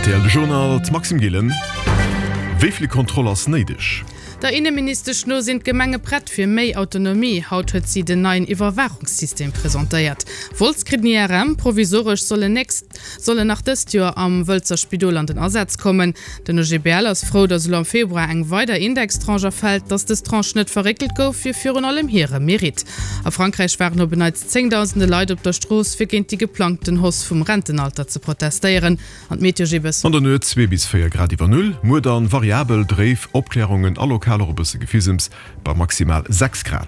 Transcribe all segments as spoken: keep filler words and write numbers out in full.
Rtl de Journal, d'Maxime Gillen. Wéi vill Kontroll ass néideg? Der Inneministesch no sinn d'Gemenge prett fir méi Autonomie. Haut huet si den neien Iwwerwaachungssystem presentéiert. Wolz kritt en I R M, provisoresch soll en nächst soll en nach dëst Joer am Wëlzer Spidol an den Asaz kommen. Den O G B L ass frou, datt elo am Februar eng weider Indextranche erfält. Datt dës Tranche net verréckelt gouf, wier virun allem hire Mérite. A Frankräich waren op en Neits zéngdausende Leit op der Strooss, fir géint déi geplangten Hausse vum Rentenalter ze protestéieren. An d'Meteo Gibes. An der Nuet zwee bis véier Grad iwwer Null, muer dann variabel, dréif, Opklärungen a lokal och e bësse Gefisems bei maximal sechs Grad.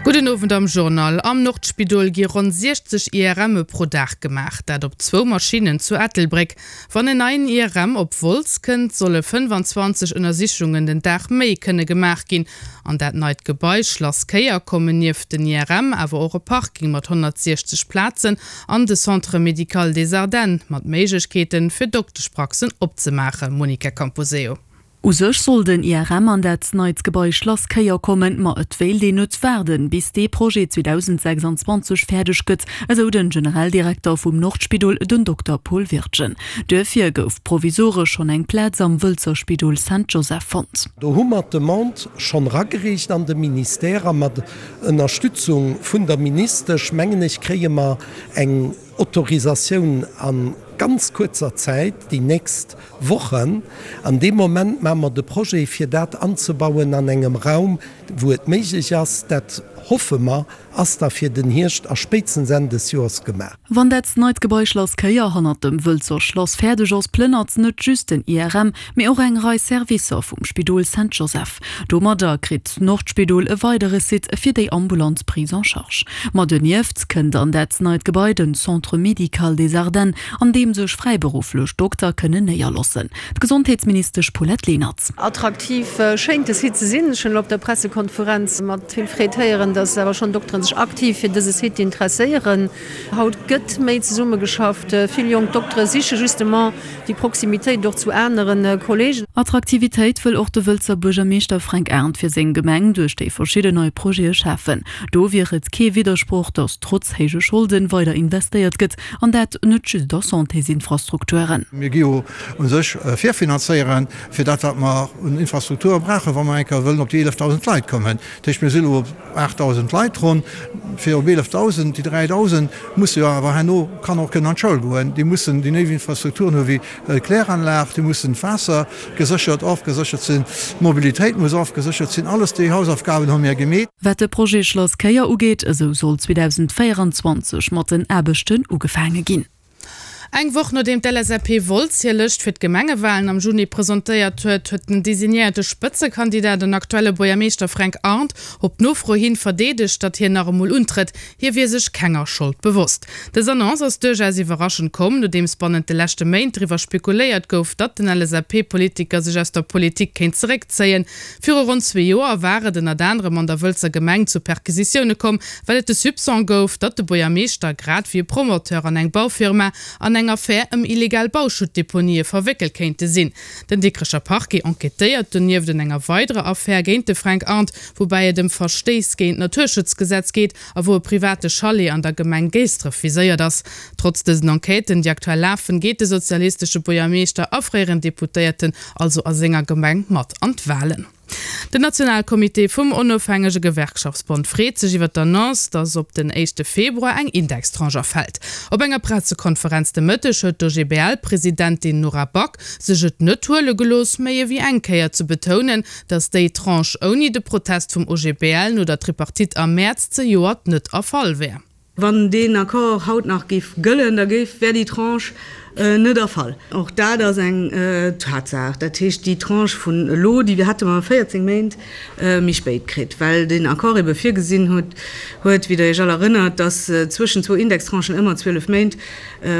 Gudden Owend am Journal. Am Nordspidol gi ronn siechzeg I R Mme pro Dag gemaach, dat op zwou Maschinnen zu Ettelbréck. Wann en neien I R M op Wolz kënnt, solle fënnefanzwanzeg Ënnersichungen den Dag méi kënne gemaach ginn. An dat neit Gebai Schlass Kéier kommen nieft den I R M awer och e Parking mat honnertsiechzeg Plazen an de Centre médical des Ardennes mat Méiglechkeeten fir Dokteschpraxen opzemaachen. Monica Camposeo. U sech soll den I R M an dat neit Gebai Schlass Kéier kommen, ma et wéilt een net waarden, bis dee Projet zweedausendsechsundzwanzeg fäerdeg gëtt, esou den Generaldirekter vum Nordspidol, den Dokter Paul Wirtgen. Duerfir gouf provisoresch schonn eng Plaz am Wëlzer Spidol Saint Joseph fonnt. Do hu mer d'Demande schonn eragereecht an de Ministère a mat Ënnerstützung vun der Ministesch, mengen ech, kréie mer eng Autorisatioun an ganz kuerzer Zäit, déi nächst Wochen. An deem Moment maache mer de Projet, fir dat anzebauen an engem Raum, wou et méiglech ass. Dat hoffe mer, ass da fir den Hierscht a spéitstens Enn des Joers gemaach. Wann dat neit Gebai Schlass Kéier hannert dem Wëlzer Schlass fäerdeg ass, plënnert net just den I R M, mee och eng Rei Servicer vum Spidol Saint Joseph. Domadder kritt d'Nordspidol e weidere Site fir déi ambulant Prise en charge. Ma donieft kënnt an dat neit Gebai den Centre médical des Ardennes, an deem sech fräiberufflech Dokter kënnen néierloossen. D'Gesondheetsministesch Paulette Lenert. Attraktiv schéint de Site ze sinn. Ech hunn op der Pressekonferenz mat vill Freed héieren, datt awer schonn Dokteren sech aktiv fir dëse Site interesséieren. Haut gëtt méi zesummegeschafft. Vill jonk Doktere siche justement déi Proximitéit och zu aneren Kollegen. Attraktivitéit wëll och de Wëlzer Buergermeeschter Fränk Arndt fir seng Gemeng duerch déi verschidden nei Projete schafen. Do wier et kee Widdersproch, datt trotz héije Scholden weider investéiert gëtt an dat net just a Santésinfrastrukturen. Mir gi jo u sech virfinanzéieren fir dat, wat mer un Infrastrukture brauchen, wa mer eng Kéier wëllen op déi eelefdausend Leit kommen. Dat heescht, mir sinn elo op aachtdausend Leit ronn, fir op eelefdausend, déi dräidausend musse jo awer herno Kanner och kënnen an d'Schoul goen. Déi mussen déi néideg Infrastrukturen hu wéi d'Kläranlag, déi mussen d'Waasser geséchert, ofgeséchert sinn, d'Mobilitéit muss ofgeséchert sinn. Alles déi Hausaufgaben hu mir gemeet. Wat de Projet Schlass Kéier ugeet, esou soll zweedausendvéieranzwanzeg mat den Aarbechten ugefaange ginn. Eng Woch nodeem d'L S A P Wolz hir Lëscht fir d'Gemengewahlen am Juni presentéiert huet, huet den designéierte Spëtzekandidat an aktuelle Buergermeeschter Fränk Arndt op Nofro hin verdeedegt, datt hien nach emol untrëtt. Hie wier sech kenger Schold bewosst. Dës Annonce ass duerchaus iwwerraschend komm, nodeems bannent de leschte Méint driwwer spekuléiert gouf, datt den L S A P-Politiker sech aus der Politik kéint zeréckzéien. Viru ronn zwee Joer war et ënnert anerem an der Wëlzer Gemeng zu Perquisitioune komm, well et de Soupçon gouf, datt de Buergermeeschter grad wéi e Promoteur an eng Baufirma an eng Affär ëm illegal Bauschuttdeponië verwéckelt kéinte sinn. Den Dikrecher Parquet enquêtéiert donieft an enger weiderer Affär géint de Fränk Arndt, woubäi et ëm Verstéiss géint d'Naturschutzgesetz geet a wou e private Chalet an der Gemeng Géisdref viséiert ass. Trotz dësen Enquêten, déi aktuell lafen, geet de sozialistesche Buergermeeschter a fréieren Deputéierten also a senger Gemeng mat an d'Wahlen. Den Nationalkomitee vum onofhängege Gewerkschaftsbond freet sech iwwer d'Annonce, datt op den éischte Februar eng Indextranche erfält. Op enger Pressekonferenz de Mëtteg huet d'O G B L-Presidentin Nora Back sech et net huele gelooss, méi ewéi eng Kéier ze betounen, datt déi Tranche ouni de Protest vum O G B L no der Tripartite am Mäerz zejoert net erfall wär. Wann deen Accord haut nach géif gëllen, da géif wär déi Tranche net erfall. Och dat ass eng Tatsaach. Dat heescht, déi Tranche vun elo, déi hätte mer véierzéng Méint méi spéit kritt, well den Accord ebe virgesinn huet, huet, wéi der Iech all erënnert, datt zwëschen zwou Indextranchen ëmmer zwielef Méint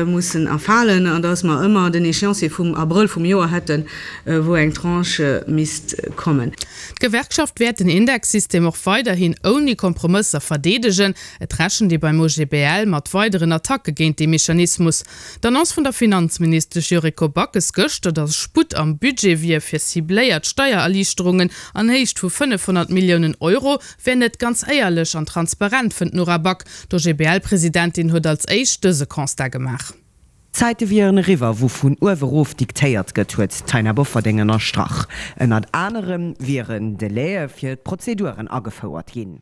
mussen erfalen an datt mer ëmmer den Échéancier vum Abrëll vum Joer hätten, wou eng Tranche misst kommen. D'Gewerkschaft wäert den Indexsystem och weiderhin ouni Kompromësser verdeedegen. Et rechent ee beim O G B L mat weideren Attacke géint de Mechanismus. D'Annonce vun der Finanzministesch Yuriko Backes gëschter, datt Sputt am Budget wier fir cibléiert Steiererliichterungen an Héicht vu fënnefhonnert Milliounen Euro, wär net ganz éierlech an transparent, fënnt Nora Back. D'O G B L-Presidentin huet als éischt dëse Constat gemaach. D'Zäite wieren eriwwer, wou vun uewe rof diktéiert gëtt, huet d'Taina Bofferding ënnerstrach. Ënnert anerem wieren Delaie fir d'Prozeduren agefouert ginn.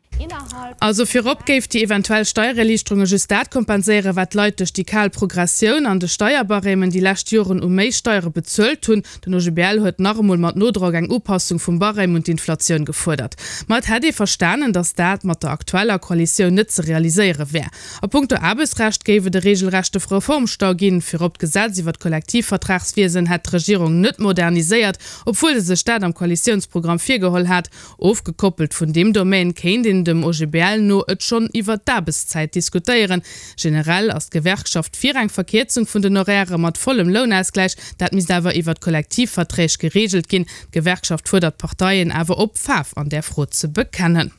Also virop géif déi eventuell Steiererliichterunge just dat kompenséieren, wat d'Leit duerch déi kal Progressioun an de Steierbarèmen déi lescht Joren u méi Steiere bezuelt hunn. Den O G B L huet nach emol mat Nodrock eng Upassung vum Barème un d'Inflatioun gefuerdert. Ma et hätt ee verstanen, datt dat mat der aktueller Koalitioun net ze realiséiere wär. A punkto Aarbechtsrecht géif et e reegelrechte Reformstau ginn. Virop d'Gesetz iwwer d'Kollektivvertragswiesen hätt d'Regierung net moderniséiert, obwuel se sech dat am Koalitiounsprogramm virgeholl hat. Ofgekoppelt vun deem Domaine kéint een dem O G B L no et schonn iwwer d'Aarbechtszäit diskutéieren. Generell ass d'Gewerkschaft fir eng Verkierzung vun den Horairë mat vollem Lounausgläich, dat misst awer iwwer d'Kollektivverträg gereegelt ginn. D'Gewerkschaft fuerdert d'Parteien awer op, Faarf an där Fro ze bekennen.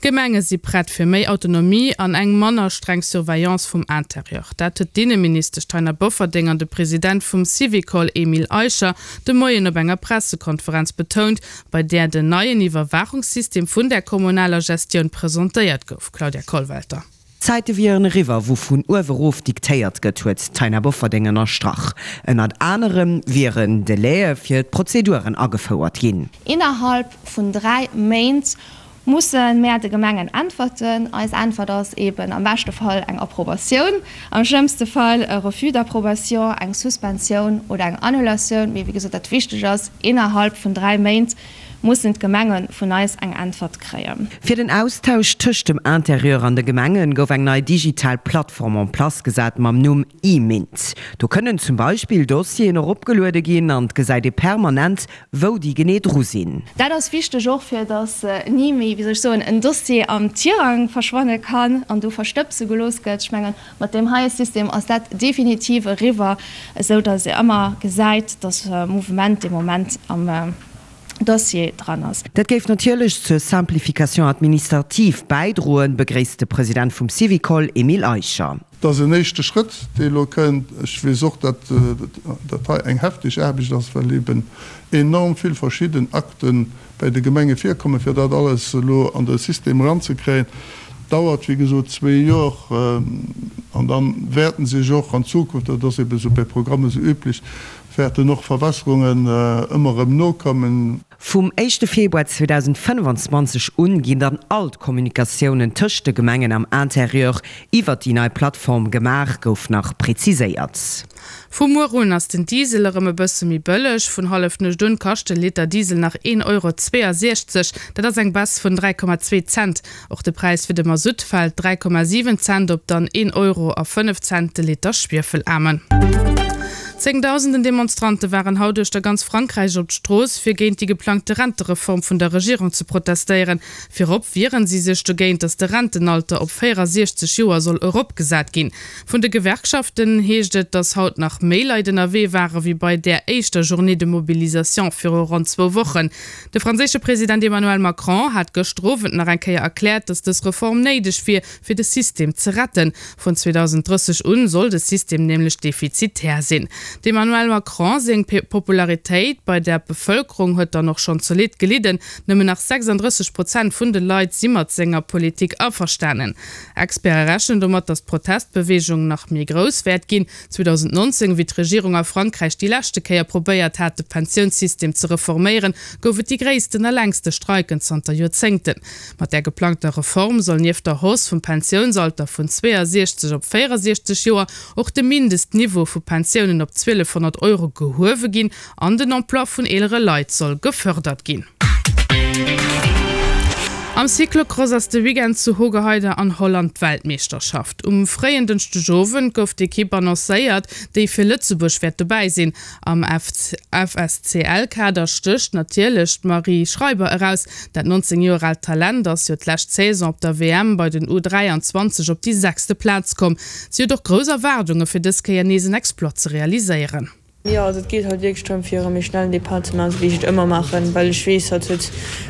D'Gemenge si prett fir méi Autonomie an eng manner streng Surveillance vum Interieur. Dat huet d'Inneministesch Taina Bofferding an de President vum Syvicol Emile Eicher de Moien op enger Pressekonferenz betount, bei där den neien Iwwerwaachungssystem vun der kommunaler Gestioun presentéiert gouf. Claudia Kollwelter. D'Zäite wieren eriwwer, wou vun uewe rof diktéiert gëtt, huet d'Taina Bofferding ënnerstrach. Ënnert anerem wieren Delaie fir d'Prozeduren agefouert ginn. Innerhalb vun dräi Méint musse mär de Gemengen äntwerten. Eis Äntwert ass eben am beschte Fall eng Approbatioun, am schlëmmste Fall e Refus d'approbation, eng Suspensioun oder eng Annulatioun. Mee wéi gesot, dat Wichtegt ass, innerhalb vun dräi Méint mussen d'Gemenge vun eis eng Äntwert kréien. Fir den Austausch tëscht dem Interieur an de Gemenge gouf eng nei digital Plattform en place gesat mam Numm eMINT. Do kënnen zum Beispill Dossieren eropgeluede ginn an et gesäit ee permanent, wou déi genee dru sinn. Dat ass wichteg och fir datt ni méi, wéi soll ech soen, en Dossier am Tirang verschwanne kann an do verstëbse gelooss gëtt. Ech mengen, mat deem heie System ass dat definitiv eriwwer, esou datt ee ëmmer gesäit, datt Mouvement dee Moment am Dossier dran ass. Dat géif natierlech zur Simplification administrative bäidroen, begréisst de President vum Syvicol Emile Eicher. Dat ass en éischte Schrëtt, dee elo kënnt. Ech weess och, datt dat hei eng hefteg Aarbecht ass, well eben enorm vill verschidden Akte bei de Gemenge virkommen, fir dat alles elo an de System eranzekréien. Dauert, wéi gesot, zwee Joer an da wäerten sech och an Zukunft, dat ass eben esou bei Programmen esou üblech, wäerten och Verbesserungen ëmmer erëm nokommen. Vum éischte Februar zweedausendfënnefanzwanzeg un ginn dann all d'Kommunikatiounen tëscht de Gemengen am Interieur iwwert déi nei Plattform gemaach, gouf nach präziséiert. Vu muer un ass den Diesel erëm e bësse méi bëlleg. Vun Hallefnuecht un kascht de Liter Diesel nach een Euro zweeënsechzeg, dat ass eng Baisse vun dräi Komma zwee Cent. Och de Präis fir de Masutt fält dräi Komma siwen Cent op dann een Euro a fënnef Cent de Liter Schwiefelaarmen. Zéngdausenden Demonstrante waren haut uechter ganz Frankräich op d'Strooss, fir géint déi geplangte Rentereform vun der Regierung ze protestéieren. Virop wieren si sech dogéint, datt de Rentenalter op véierasiechzeg Joer soll eropgesat ginn. Vun de Gewerkschaften heescht et, datt haut nach méi Leit ënnerwee ware wéi bei där éischter Journée de mobilisation viru ronn zwou Wochen. De franséische President Emmanuel Macron hat gëschter Owend nach eng Kéier erkläert, datt dës Reform néideg wier, fir de System ze retten. Vun zweedausendrësseg un soll de System nämlech defizitär sinn. Dem Emmanuel Macron seng Popularitéit bei der Bevëlkerung huet dann och schonn zolidd gelidden, nëmmen nach sechsanddrësseg Prozent vun de Leit si mat senger Politik averstanen. Experte rechnen domat, datt d'Protestbeweegung nach méi grouss wäert ginn. zweedausendnonzéng, wéi d'Regierung a Frankräich déi leschte Kéier probéiert hat, de Pensiounssystem ze reforméieren, gouf et déi gréissten a längste Streiken zanter Joerzéngten. Mat der geplangter Reform soll nieft der Hausse vum Pensiounsalter vun zweeësiechzeg op véierasiechzeg Joer och de Mindestniveau vu Pensiounen op zwielefhonnert Euro gehuewe ginn an den Emploi vun eelere Leit soll gefërdert ginn. Am Cyclocross ass de Weekend zu Hoogerheide an Holland d'Weltmeeschterschaft. Um fréien Dënschdegowend gouf d'Ekipp annoncéiert, déi fir Lëtzebuerg wäert dobäi sinn. Am F S C L-Kader stécht natierlech d'Marie Schreiber eraus. Dat nonzéng Joer aalt Talent ass jo d'lescht Saison op der W M bei den U dräianzwanzeg op déi sechste Plaz komm. Si huet och grouss Erwaardunge fir dës Kéier nees en Exploit ze realiséieren. Jo, also et geet halt wierklech drëm fir erëm méi schnellen Depart ze maachen, esou wéi ech et ëmmer maachen, well ech weess, hatt huet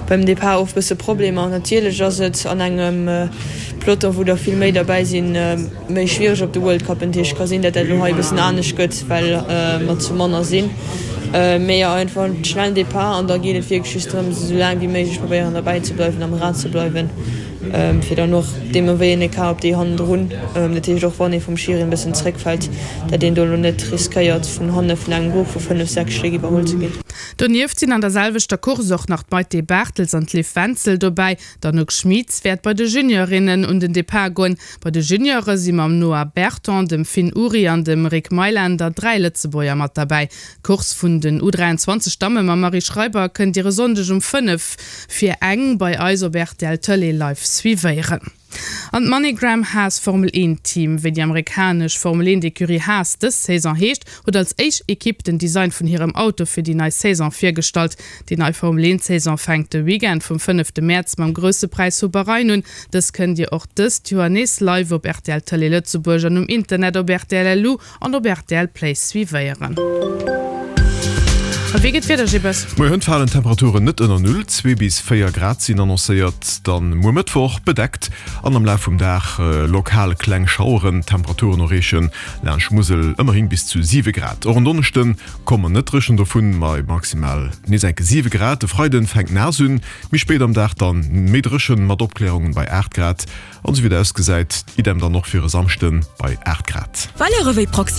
beim Depart oft bësse Problemer an natierlech ass et an engem Peloton, wou der vill méi derbäi sinn, méi schwiereg op de World Cup. Natierlech ka sinn, datt dat elo hei e bëssen anescht gëtt, well mer zu manner sinn. Mee jo, einfach en schnellen Depart an da geet et wierklech just drëms, esou laang wéi méiglech probéieren derbäi ze bleiwen, am Rad ze bleiwen. fir dann och deemno wéi een Ecart op déi hannendrun, dat heescht och wann ee vum Schiri en bëssen zréckfält, dat een do elo net riskéiert vun hanne vun engem Grupp vu fënnef, sechs Stéck iwwerholl ze ginn. Donieft sinn an der selwechter Course och nach d'Maïté Barthels an d'Liv Wenzel dobäi. D'Anouk Schmitz wäert bei de Juniorinnen un den Depart goen. Bei de Juniore si mam Noah Berton, dem Finn Uri an dem Rick Mailänder dräi Lëtzebuerger mat derbäi. D'Course vun den U dräianzwanzeg Damme mam Marie Schreiber kënnt Dir e Sonndeg um fënnef vir eng bei eis op rtl Tëlee live suivéieren. An d'MoneyGram Haas Formel eent Team, wéi déi amerikanesch Formel eent Ecurie Haas dës Saison heescht, huet als éischt Ekipp den Design vun hirem Auto fir déi nei Saison virgestallt. Déi nei Formel eent Saison fänkt de Weekend vum fënnefte Mäerz mam Grousse Präis vu Bahrain un. Dës kënnt Dir och dëst Joer nees live op rtl Tëlee Lëtzebuerg an um Internet op rtl.lu an op rtl Play suivéieren. A wéi geet d'Wieder, Jibbes? Moien, falen d'Temperaturen net ënner Null, zwee bis véier Grad sinn annoncéiert. Dann muer Mëttwoch bedeckt an am Laf vum Dag lokal kleng Schaueren. D'Temperaturen erreechen laanscht Musel ëmmerhin bis zu siwe Grad. Och en Donneschde komme mer net dréchen dovun, bei maximal nees enke siwe Grad. De Freiden fänkt naass un, méi spéit am Dag dann méi dréchen mat Opklärungen bei aacht Grad. An esou wéi et ausgesäit, idem dann och fir e Samschden bei aacht Grad. Valeuren wéi Proximitéit.